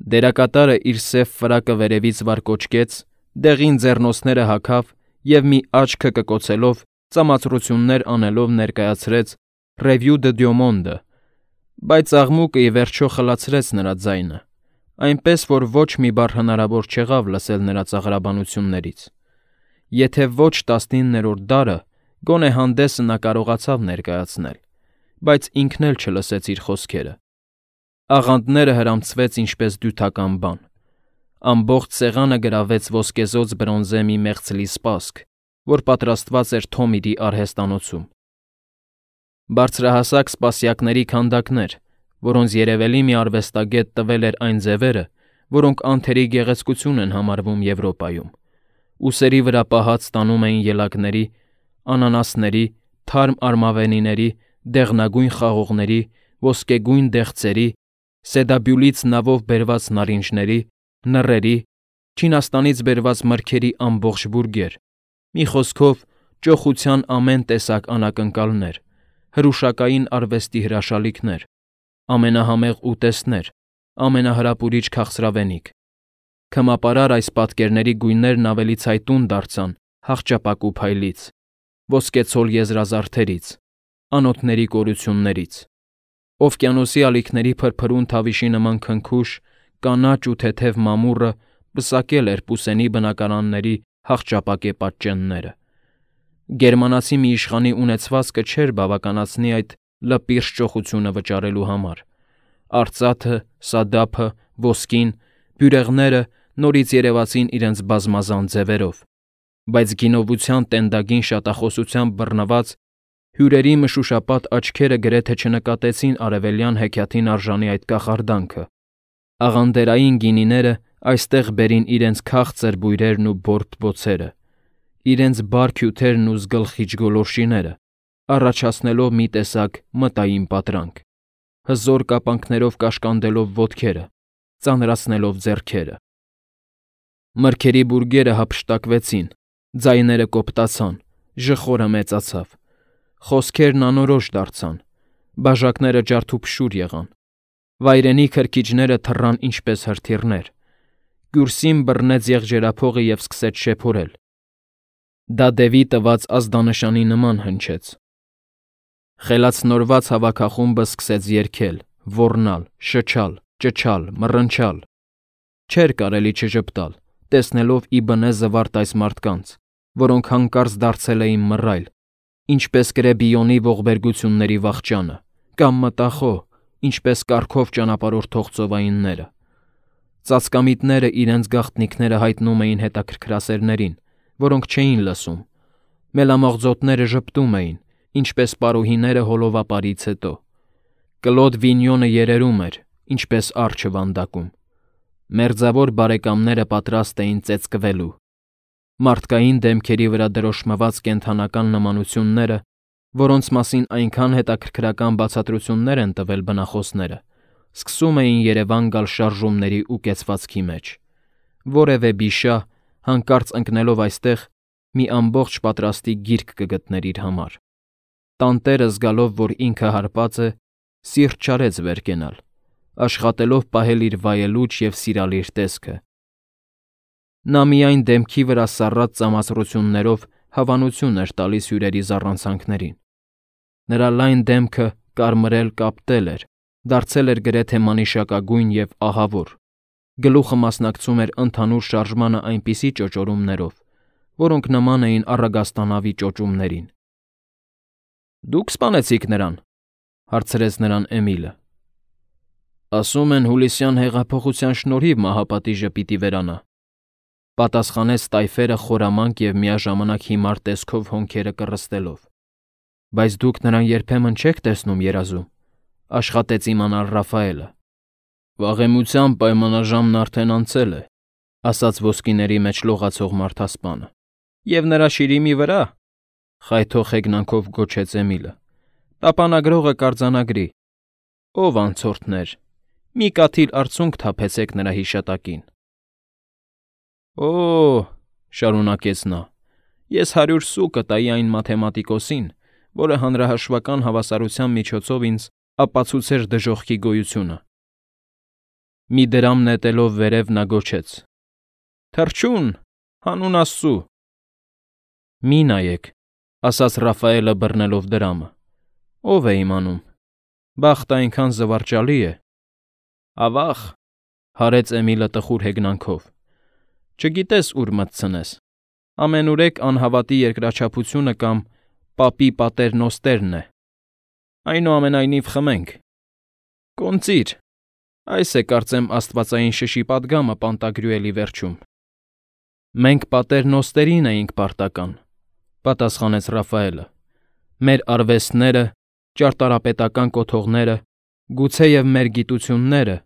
Դերակատարը իր սև ֆրակը վերևից վարկոչկեց, դեղին ձեռնոցները հագավ և մի աչքը կկոցելով, ծամացրություններ անելով ներկայացրեց «Revue de Deux Mondes», բայց աղմուկը ի վերջո խլացրեց նրա ձայնը, այնպես որ ոչ մի բառ հնարավոր չեղավ լսել նրա ծաղրաբանություններից. եթե ոչ 19-րդ դարը, գոնե հանդեսը նա կարողացավ ներկայացնել, բայց ինքն էլ չլսեց իր խոսքերը։ Աղանդները հրամցվեց ինչպես դյութական բան։ Ամբողջ սեղանը գրավեց ոսկեզօծ բրոնզե մի մեղցլի սպասք, որ պատրաստված էր Թոմիրի արհեստանոցում։ Բարձրահասակ սպասյակների քանդակներ, որոնց երևելի մի արվեստագետ տվել էր այն ձևերը, որոնք անթերի գեղեցկություն են համարվում Եվրոպայում, ուսերի վրա պահած տանում էին ելակների, անանասների, թարմ արմավենիների, դեղնագույն խաղողների, ոսկեգույն դեղցերի, սեդաբյուլից նավով բերված նարինջների, նռերի, Չինաստանից բերված մրգերի ամբողջ բուրգեր, մի խոսքով ճոխության ամեն տեսակ անակնկալներ, հրուշակային արվեստի հրաշալիքներ, ամենահամեղ ուտեստներ, ամենահրապուրիչ քաղցրավենիք։ Քմապարար այս պատկերների գույներն ավելի ցայտուն դարձան հախճապակու փայլից, ոսկեցոլ եզրազարդերից, անոթների կորություններից, օվկիանոսի ալիքների փրփրուն թավիշի նման քնքուշ, կանաչ ու թեթև մամուռը պսակել էր Պուսենի բնակարանների հախճապակե պատճենները։ Գերմանացի մի իշխանի ունեցվածքը չէր բավականացնի այդ լպիրշ ճոխությունը վճարելու համար։ Արծաթը, սադափը, ոսկին, բյուրեղները նորից երևացին իրենց բազմազան ձևերով, բայց գինովության տենդագին շատախոսությամբ բռնված հյուրերի մշուշապատ աչքերը գրեթե չնկատեցին արևելյան հեքիաթին արժանի այդ կախարդանքը։ Աղանդերային գինիները այստեղ բերին իրենց քաղցր բույրերն ու բորբդ բոցերը, իրենց բարք հյութերն ու զգլխիչ գոլորշիները, առաջացնելով մի տեսակ մտային պատրանք, հզոր կապանքներով կաշկանդելով ոտքերը, ծանրացնելով ձեռքերը։ Մրգերի բուրգերը հափշտակվեցին, ձայները կոպտացան, ժխորը մեծացավ, խոսքերն անորոշ դարձան, բաժակները ջարդուփշուր եղան, վայրենի քրքիջները թռան ինչպես հրթիռներ, Գյուրսին բռնեց եղջերափողը և սկսեց շեփորել։ Դա դևի տված ազդանշանի նման հնչեց։ Խելացնորված հավաքախումբը սկսեց երգել, ոռնալ, շչալ, ճչալ, մռնչալ։ Չէր կարելի չժպտալ, տեսնելով ի բնե զվարթ այս մարդկանց, որոնք հանկարծ դարձել էին մռայլ, ինչպես Կրեբիոնի ողբերգությունների վախճանը, կամ մտախոհ, ինչպես կառքով ճանապարհորդող ծովայինները։ Ծածկամիտները իրենց գաղտնիքները հայտնում էին հետաքրքրասերներին, որոնք չէին լսում։ Մելամաղձոտները ժպտում էին, ինչպես պարուհիները հոլովապարից հետո։ Կլոդ Վինյոնը երերում էր, ինչպես արջը վանդակում։ Մերձավոր բարեկամները պատրաստ էին ծեծկվելու։ Մարդկային դեմքերի վրա դրոշմված կենդանական նմանությունները, որոնց մասին այնքան հետաքրքրական բացատրություններ են տվել բնախոսները, սկսում էին Երևան գալ շարժումների ու կեցվածքի մեջ։ Որևէ բիշա, հանկարծ ընկնելով այստեղ, մի ամբողջ պատրաստի գիրք կգտներ իր համար։ Տանտերը զգալով, որ ինքը հարբած է, սիրտ չարեց վեր կենալ, աշխատելով պահել իր վայելուչ և սիրալիր տեսքը։ Նա միայն դեմքի վրա սառած ծամացրություններով հավանություն էր տալիս հյուրերի զառանցանքներին։ Նրա լայն դեմքը կարմրել կապտել էր, դարձել էր գրեթե մանիշակագույն և ահավոր, գլուխը մասնակցում էր ընդհանուր շարժմանը այնպիսի ճոճորումներով, որոնք նման էին առագաստանավի ճոճումներին։ «Դուք սպանեցիք նրան,» հարցրեց նրան Էմիլը։ «Ասում են հուլիսյան հեղափոխության շնորհիվ մահապատիժը պիտի վերանա,» պատասխանեց տայֆերը խորամանկ և միաժամանակ հիմար տեսքով հոնքերը կռստելով։ «Բայց դուք նրան երբեմն չեք տեսնում երազում,֊ աշխատեց իմանալ Ռաֆայելը։ «Վաղեմության պայմանաժամն արդեն անցել է,֊ ասաց ոսկիների մեջ լողացող մարդասպանը։ «Եվ նրա շիրիմի վրա,֊ խայթող հեգնանքով գոչեց Էմիլը,֊ տապանագրողը կարձանագրի։ Ով անցորդներ, մի կաթիլ արցունք թափեցեք նրա հիշատակին»։ «Օ,֊ շարունակեց նա,֊ ես 100 սու կտայի այն մաթեմատիկոսին, որը հանրահաշվական հավասարության միջոցով ինձ ապացուցեր դժոխքի գոյությունը»։ Մի դրամ նետելով վերև նա գոչեց. «Թռչուն, հանուն Աստծու»։ «Մի նայեք», ասաց Ռաֆայելը բռնելով դրամը։ «Ով է իմանում։ Բախտը այնքան զվարճալի է»։ «Ավա՜ղ», հարեց Էմիլը տխուր հեգնանքով։ «Չգիտես ուր մտցնես։ Ամենուրեք անհավատի երկրաչափությունը կամ պապի պատերնոստերն է։ Այնուամենայնիվ խմենք։ Կոնծիր, այս է կարծեմ աստվածային շշի պատգամը Պանտագրյուելի վերջում»։ «Մենք պատերնոստերին էինք պարտական», պատասխանեց Ռաֆայելը։ «Մեր արվեստները, ճարտարապետական կոթողները, գուցեև մեր գիտությունները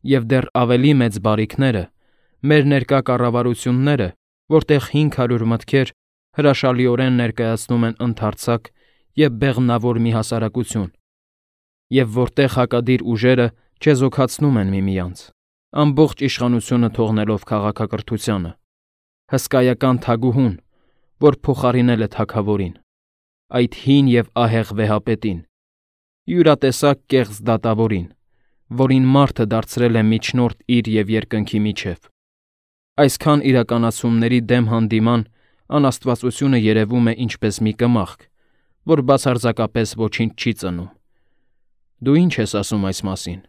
և դեռ ավելի մեծ բարիքները, մեր ներկա կառավարությունները, որտեղ 500 մտքեր հրաշալիորեն ներկայացնում են ընդարձակ և բեղմնավոր մի հասարակություն, և որտեղ հակադիր ուժերը չեզոքացնում են միմյանց, ամբողջ իշխանությունը թողնելով քաղաքակրթությանը, հսկայական թագուհուն, որ փոխարինել է թագավորին, այդ հին և ահեղ վեհապետին, յուրատեսակ կեղծ դատավորին, որին մարդը դարձրել է միջնորդ իր և երկնքի միջև։ Այսքան իրականացումների դեմ հանդիման անաստվածությունը երևում է ինչպես մի կմախք, որ բացարձակապես ոչինչ չի ծնում։ Դու ի՞նչ ես ասում այս մասին»։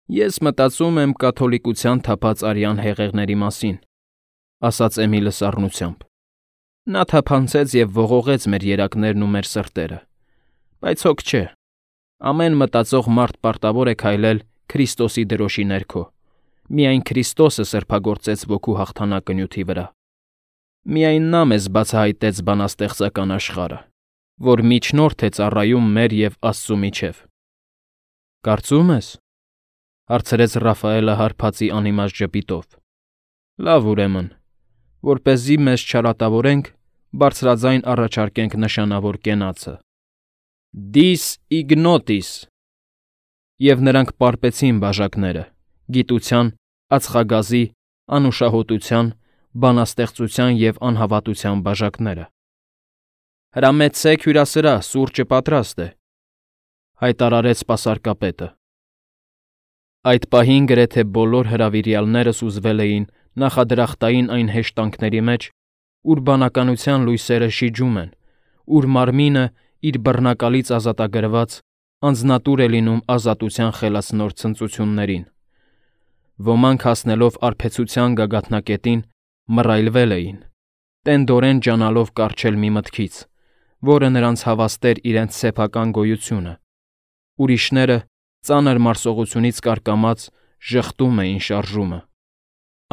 «Ես մտածում եմ կաթոլիկության թափած արյան հեղեղների մասին», ասաց Էմիլը սառնությամբ։ «Նա թափանցեց և ողողեց մեր երակներն ու մեր սրտերը, բայց հոգ չէ։ Ամեն մտածող մարդ պարտավոր է քայլել Քրիստոսի դրոշի ներքո։ Միայն Քրիստոսը սրբագործեց ոգու հաղթանակը նյութի վրա։ Միայն նա մեզ բացահայտեց բանաստեղծական աշխարհը, որ միջնորդ է ծառայում մեր և Աստծու միջև»։ «Կարծում ես», հարցրեց Ռաֆայելը հարբածի անիմաստ ժպիտով։ «Լավ, ուրեմն, որպեսզի մեզ չարատավորենք, բարձրաձայն առաջարկենք նշանավոր կենացը. Dis ignotis։ Եվ նրանք պարպեցին բաժակները՝ գիտության, ածխագազի, անուշահոտության, բանաստեղծության և անհավատության բաժակները։ «Հրամեցեք հյուրասրահ, սուրճը պատրաստ է», հայտարարեց սպասարկապետը։ Այդ պահին գրեթե բոլոր հրավիրյալները սուզվել էին նախադրախտային այն հեշտանքների մեջ, ուր բանականության լույսերը շիջում են, ուր մարմինը, իր բռնակալից ազատագրված, անձնատուր է լինում ազատության խելացնոր ցնծություններին։ Ոմանք հասնելով արբեցության գագաթնակետին, մռայլվել էին, տենդորեն ջանալով կառչել մի մտքից, որը նրանց հավաստեր իրենց սեփական գոյությունը։ Ուրիշները, ծանր մարսողությունից կարկամած, ժխտում էին շարժումը։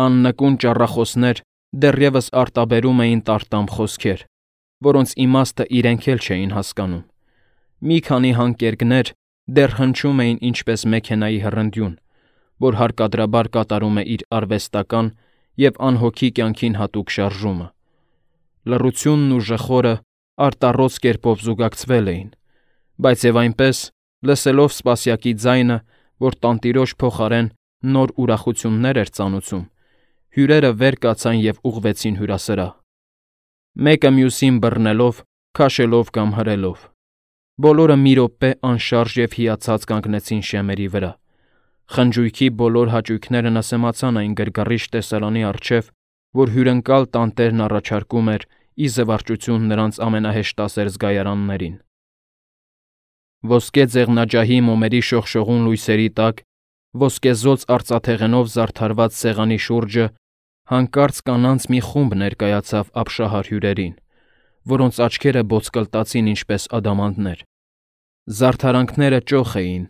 Աննկուն ճառախոսներ դեռևս արտաբերում էին տարտամ խոսքեր, որոնց իմաստը իրենք էլ չէին հասկանում։ Մի քանի հանկերկներ դեռ հնչում էին ինչպես մեքենայի հռնդյուն, որ հարկադրաբար կատարում է իր արվեստական և անհոգի կյանքին հատուկ շարժումը։ Լռությունն ու ժխորը արտառոց կերպով զուգակցվել էին, բայց և այնպես, լսելով սպասյակի ձայնը, որ տանտիրոջ փոխարեն նոր ուրախություններ էր ծանուցում, հյուրերը վեր կացան և ուղղվեցին հյուրասրահ։ Մեկը մյուսին բռնելով, քաշելով կամ հրելով։ Բոլորը մի րոպե անշարժ և հիացած կանգնեցին շեմերի վրա։ Խնջույքի բոլոր հաճույքները նսեմացան այն գրգռիչ տեսարանի առջև, որ հյուրընկալ տանտերն առաջարկում էր ի զվարճություն նրանց ամենահեշտասեր զգայարաններին։ Ոսկե ձեղնաջահի մոմերի շողշողուն լույսերի տակ, ոսկեզօծ արծաթեղենով զարդարված սեղանի շուրջը հանկարծ կանանց մի խումբ ներկայացավ ապշահար հյուրերին, որոնց աչքերը ոսկլտացին ինչպես ադամանդներ։ Զարդարանքները ճոխ էին,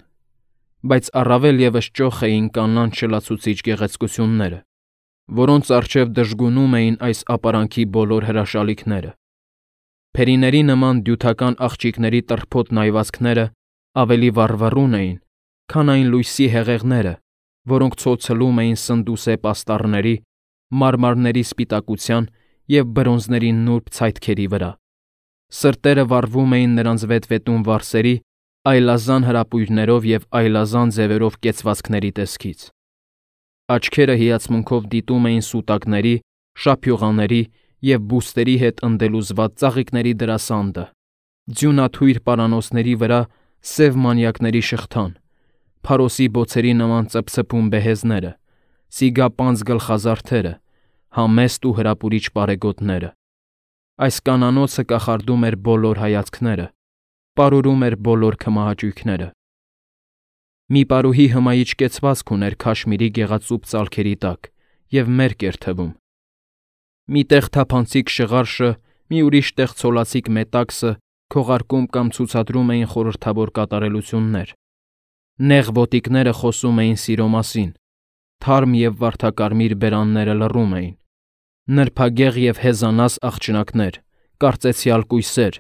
բայց առավել ևս ճոխ էին կանանց շլացուցիչ գեղեցկությունները, որոնց առջև դժգունում էին այս ապարանքի բոլոր հրաշալիքները։ Փերիների նման դյութական աղջիկների տրփոտ նայվածքները ավելի վառվռուն էին, քան այն լույսի հեղեղները, որոնք ցոցլում էին սնդուսե պաստառների, մարմարների սպիտակության և բրոնզների նուրբ ցայտքերի վրա։ Սրտերը վառվում էին նրանց վետվետուն վարսերի, այլազան հրապույրներով և այլազան ձևերով կեցվածքների տեսքից։ Աչքերը հիացմունքով դիտում էին սուտակների, շափյուղաների և բուստերի հետ ընդելուզված ծաղիկների դրասանդը, ձյունաթույր պարանոցների վրա սև մանյակների շղթան, Փարոսի բոցերի նման ծփծփուն բեհեզները, սիգապանց գլխազարդերը, համեստ ու հրապուրիչ պարեգոտները։ Այս կանանոցը կախարդում էր բոլոր հայացքները, պարուրում էր բոլոր քմահաճույքները։ Մի պարուհի հմայիչ կեցվածք ուներ քաշմիրի գեղածուփ ծալքերի տակ և մերկ էր թվում։ Մի տեղ թափանցիկ շղարշը, մի ուրիշ տեղ ցոլացիկ մետաքսը քողարկում կամ ցուցադրում էին խորհրդավոր կատարելություններ։ Նեղ ոտիկները խոսում էին սիրո մասին, թարմ և վարդակարմիր բերանները լռում էին։ Նրբագեղ և հեզանաս աղջնակներ, կարծեցյալ կույսեր,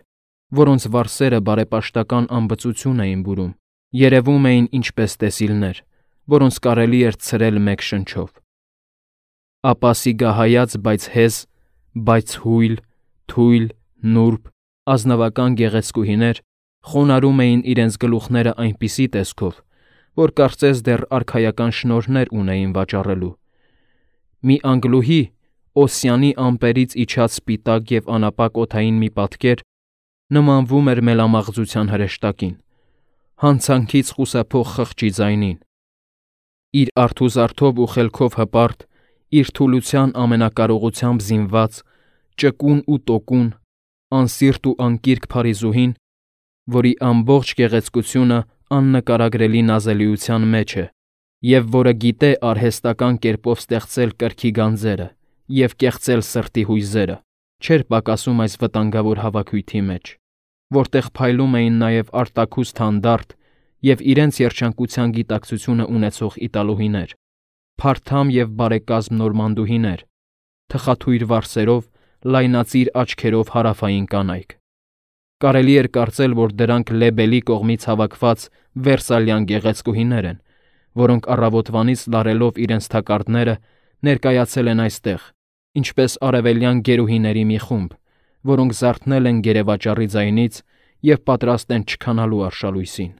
որոնց վարսերը բարեպաշտական անբծություն էին բուրում, երևում էին ինչպես տեսիլներ, որոնց կարելի էր ցրել մեկ շնչով։ Ապա սիգահայաց, բայց հեզ, բայց հույլ, թույլ, նուրբ, ազնվական գեղեցկուհիներ խոնարհում էին իրենց գլուխները այնպիսի տեսքով, որ կարծես դեռ արքայական շնորհներ ունեին վաճառելու։ Մի անգլուհի, Օսիանի ամպերից իջած սպիտակ և անապակ օդային մի պատկեր, նմանվում էր մելամաղձության հրեշտակին, հանցանքից խուսափող խղճի ձայնին։ Իր արթուզարդով ու խելքով հպարտ, իր թուլության ամենակարողությամբ զինված, ճկուն ու տոկուն, անսիրտ ու անկիրք Փարիզուհին, որի ամբողջ գեղեցկությունը աննկարագրելի նազելիության մեջ է, և որը գիտե արհեստական կերպով ստեղծել կրքի գանձերը և կեղծել սրտի հույզերը, չէր պակասում այս վտանգավոր հավաքույթի մեջ, որտեղ փայլում էին նաև արտաքուստ հանդարտ և իրենց երջանկության գիտակցությունը ունեցող իտալուհիներ, փարթամ և բարեկազմ նորմանդուհիներ, թխաթույր վարսերով, լայնածիր աչքերով հարավային կանայք։ Կարելի էր կարծել, որ դրանք Լեբելի կողմից հավաքված վերսալյան գեղեցկուհիներ են, որոնք առավոտվանից լարելով իրենց թակարդները ներկայացել են այստեղ, ինչպես արևելյան գերուհիների մի խումբ, որոնք զարթնել են գերեվաճառի ձայնից և պատրաստ են չքանալու արշալույսին։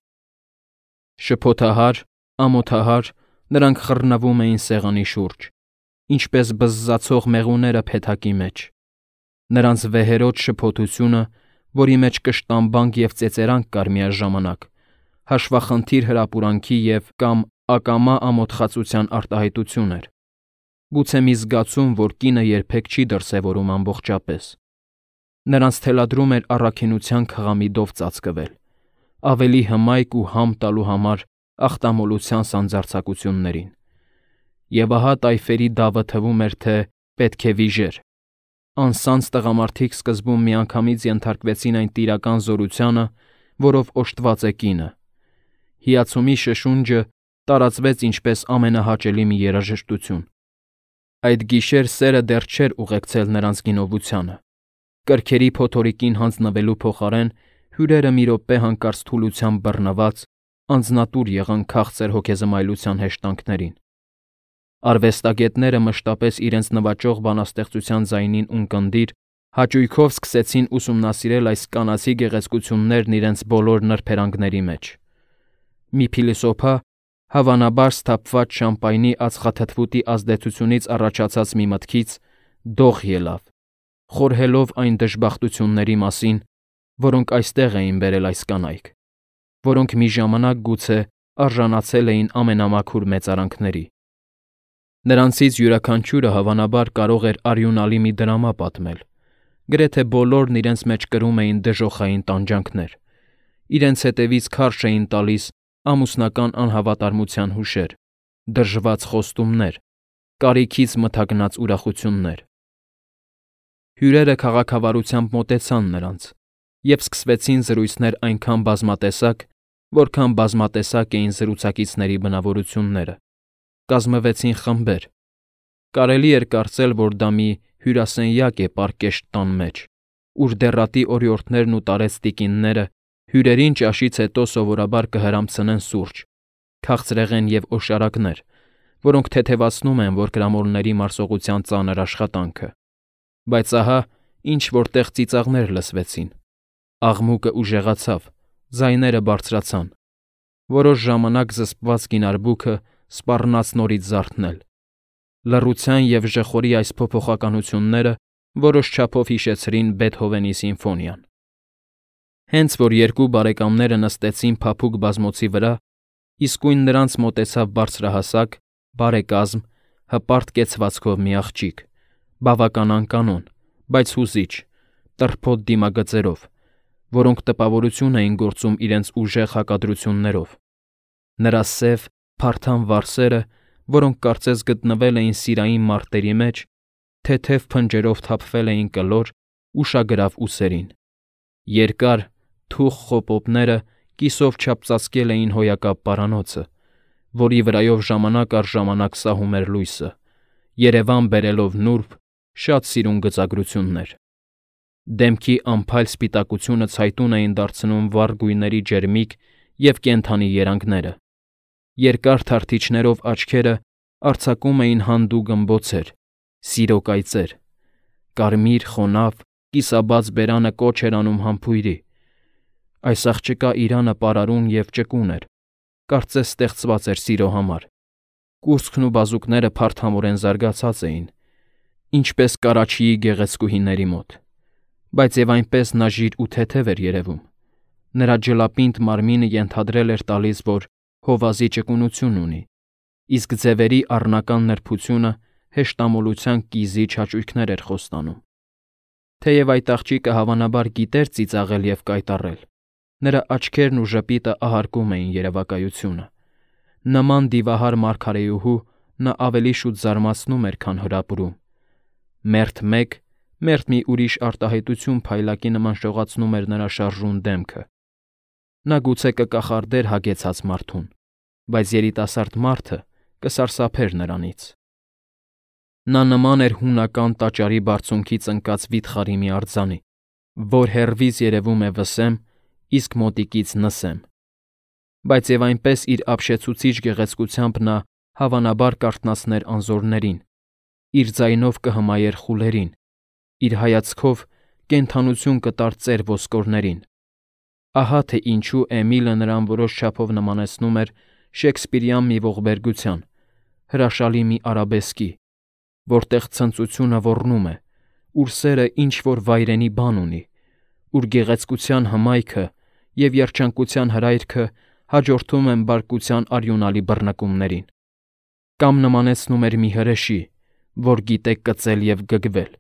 Շփոթահար, ամոթահար նրանք խռնվում էին սեղանի շուրջ, ինչպես բզզացող մեղուները փեթակի մեջ։ Նրանց վեհերոտ շփոթությունը, որի մեջ կշտամբանք և ծեծերանք կար միաժամանակ, հաշվախնդիր հրապուրանքի և կամ ակամա ամոթխածության արտահայտություն էր, գուցե մի զգացում, որ կինը երբեք չի դրսևորում ամբողջապես։ Նրանց թելադրում էր առաքինության քղամիդով ծածկվել, ավելի հմայք ու համ տալու համար ախտամոլության սանձարձակություններին։ Եվ ահա տայֆերի դավը թվում էր, թե պետք է վիժեր։ Անսանձ տղամարդիկ սկզբում միանգամից ենթարկվեցին այն տիրական զորությանը, որով օժտված է կինը։ Հիացումի շշունջը տարածվեց ինչպես ամենահաճելի մի երաժշտություն։ Այդ գիշեր սերը դեռ չէր ուղեկցել նրանց գինովությանը։ Կրքերի փոթորիկին հանձնվելու փոխարեն հյուրերը մի րոպե հանկարծ թուլությամբ բռնված, անձնատուր եղան քաղցր հոգեզմայլության հեշտանքներին։ Արվեստագետները մշտապես իրենց նվաճող բանաստեղծության ձայնին ունկնդիր հաճույքով սկսեցին ուսումնասիրել այս կանացի գեղեցկություններն իրենց բոլոր նրբերանգների մեջ։ Մի փիլիսոփա, հավանաբար սթափված շամպայնի ածխաթթվուտի ազդեցությունից առաջացած մի մտքից, դող ելավ, խորհելով այն դժբախտությունների մասին, որոնք այստեղ էին բերել այս կանայք, որոնք մի ժամանակ գուցե արժանացել էին ամենամաքուր մեծարանքների։ Նրանցից յուրաքանչյուրը հավանաբար կարող էր արյունալի մի դրամա պատմել, գրեթե բոլորն իրենց մեջ կրում էին դժոխային տանջանքներ, իրենց հետևից քարշ էին տալիս ամուսնական անհավատարմության հուշեր, դրժված խոստումներ, կարիքից մթագնած ուրախություններ։ Հյուրերը քաղաքավարությամբ մոտեցան նրանց և սկսվեցին զրույցներ այնքան բազմատեսակ, որքան բազմատեսակ էին զրուցակիցների բնավորությունները։ Կազմվեցին խմբեր։ Կարելի էր կարծել, որ դա մի հյուրասենյակ է պարկեշտ տան մեջ, ուր դեռատի օրիորդներն ու տարեց տիկինները հյուրերին ճաշից հետո սովորաբար կհրամցնեն սուրճ, քաղցրեղեն և օշարակներ, որոնք թեթևացնում են որկրամոլների մարսողության ծանր աշխատանքը։ Բայց ահա ինչ-որ տեղ ծիծաղներ լսվեցին, աղմուկը ուժեղացավ, ձայները բարձրացան։ Որոշ ժամանակ զսպված գինարբուքը սպառնաց նորից զարթնել։ Լռության և ժխորի այս փոփոխականությունները որոշ չափով հիշեցրին Բեթհովենի սիմֆոնիան։ Հենց որ երկու բարեկամները նստեցին փափուկ բազմոցի վրա, Իսկույն նրանց մոտեցավ բարձրահասակ, բարեկազմ, հպարտ կեցվածքով մի աղջիկ, բավական անկանոն, բայց հուզիչ, տրփոտ դիմագծերով, որոնք տպավորություն էին գործում իրենց ուժեղ հակադրություններով։ Նրա սև, փարթամ վարսերը, որոնք կարծես գտնվել էին սիրային մարտերի մեջ, թեթև փնջերով թափվել էին կլոր, ուշագրավ ուսերին։ Երկար, թուխ խոպոպները կիսով չափծածկել էին հոյակապ պարանոցը, որի վրայով ժամանակ առ ժամանակ սահում էր լույսը, Երևան բերելով նուրբ, շատ սիրուն գծագրություններ։ Դեմքի անփայլ սպիտակությունը ցայտուն էին դարձնում վառ գույների ջերմիկ և կենդանի երանգները։ Երկար թարթիչներով աչքերը արձակում էին հանդու գմբոցեր, սիրո կայծեր։ Կարմիր, խոնավ, կիսաբաց բերանը կոչ էր անում համբույրի։ Այս աղջկա իրանը պարարուն և ճկուն էր, կարծես ստեղծված էր սիրո համար։ Կուրծքն ու բազուկները փարթամորեն զարգացած էին, ինչպես Կարաչիի գեղեցկուհիների մոտ, բայց և այնպես նաժիր ու թեթև էր երևում։ Նրա ջլապինդ մարմինը ենթադրել էր տալիս, որ հովազի ճկունություն ունի, իսկ ձևերի առնական նրբությունը հեշտամոլության կիզիչ հաճույքներ էր խոստանում։ Թեև այդ աղջիկը հավանաբար գիտեր ծիծաղել և կայտառել, նրա աչքերն ու ժպիտը ահարկում էին երևակայությունը։ Նման դիվահար մարգարեուհու նա ավելի շուտ զարմացնում էր, քան հրապուրում։ Մերթ մեկ, մերթ մի ուրիշ արտահայտություն փայլակի նման շողացնում էր նրա շարժուն դեմքը։ Նա գուցե կկախարդեր հագեցած մարդուն, բայց երիտասարդ մարդը կսարսափեր նրանից։ Նա նման էր հունական տաճարի բարձունքից ընկած վիթխարի մի արձանի, որ հեռվից երևում է վսեմ, իսկ մոտիկից նսեմ։ Բայց և այնպես իր ապշեցուցիչ գեղեցկությամբ նա հավանաբար կարթնացներ անզորներին, իր ձայնով կհմայեր խուլերին, իր հայացքով կենդանություն կտար ծեր ոսկորներին։ Ահա թե ինչու Էմիլը նրան որոշ չափով նմանեցնում էր շեքսպիրյան մի ողբերգության, հրաշալի մի արաբեսկի, որտեղ ցնծությունը ոռնում է, ուր սերը ինչ-որ վայրենի բան ունի, ուր գեղեցկության հմայքը և երջանկության հրայրքը հաջորդում են բարկության արյունալի բռնկումներին։ Կամ նմանեցնում էր մի հրեշի, որ գիտե կծել և գգվել,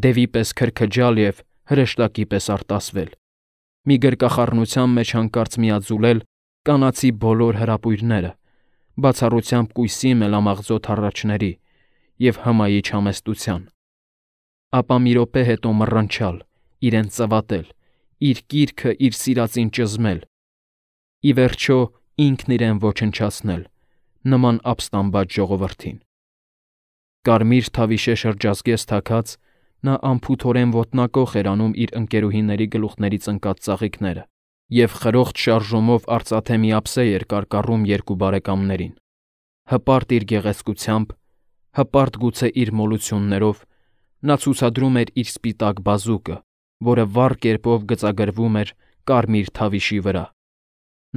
դևի պես քրքջալ և հրեշտակի պես արտասվել, մի գրկախառնության մեջ հանկարծ միաձուլել կանացի բոլոր հրապույրները, բացառությամբ կույսի մելամաղձոտ հառաչների և հմայիչ համեստության։ Ապա մի րոպե հետո մռնչալ, իրեն ծվատել, իր կիրքը իր սիրածին ճզմել, ի վերջո ինքն իրեն ոչնչացնել, նման ապստամբած ժողովրդին։ Կարմիր թավիշե շրջազգեստ թաքած, նա անփութորեն ոտնակոխ էր անում իր ընկերուհիների գլուխներից ընկած ծաղիկները և խրոխտ շարժումով արծաթե մի ափսեյ էր կարկառում երկու բարեկամներին։ Հպարտ իր գեղեցկությամբ, հպարտ գուցե իր մոլություններով, նա ցուցադրում էր իր սպիտակ բազուկը, որը վառ կերպով գծագրվում էր կարմիր թավիշի վրա։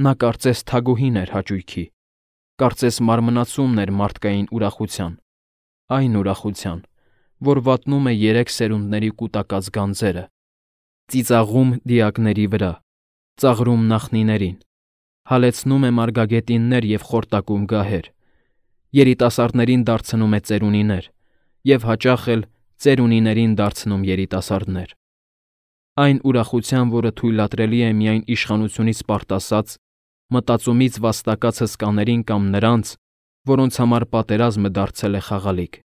Նա կարծես թագուհին էր հաճույքի, կարծես մարմնացումն էր մարդկային ուրախության, այն ուրախության, որ վատնում է երեք սերունդների կուտակած գանձերը, ծիծաղում դիակների վրա, ծաղրում նախնիներին, հալեցնում է մարգագետիններ և խորտակում գահեր, երիտասարդներին դարձնում է ծերունիներ և հաճախ էլ ծերունիներին դարձնում երիտասարդներ։ Այն ուրախության, որը թույլատրելի է միայն իշխանությունից պարտասած, մտածումից վաստակած հսկաներին կամ նրանց, որոնց համար պատերազմը դարձել է խաղալիք։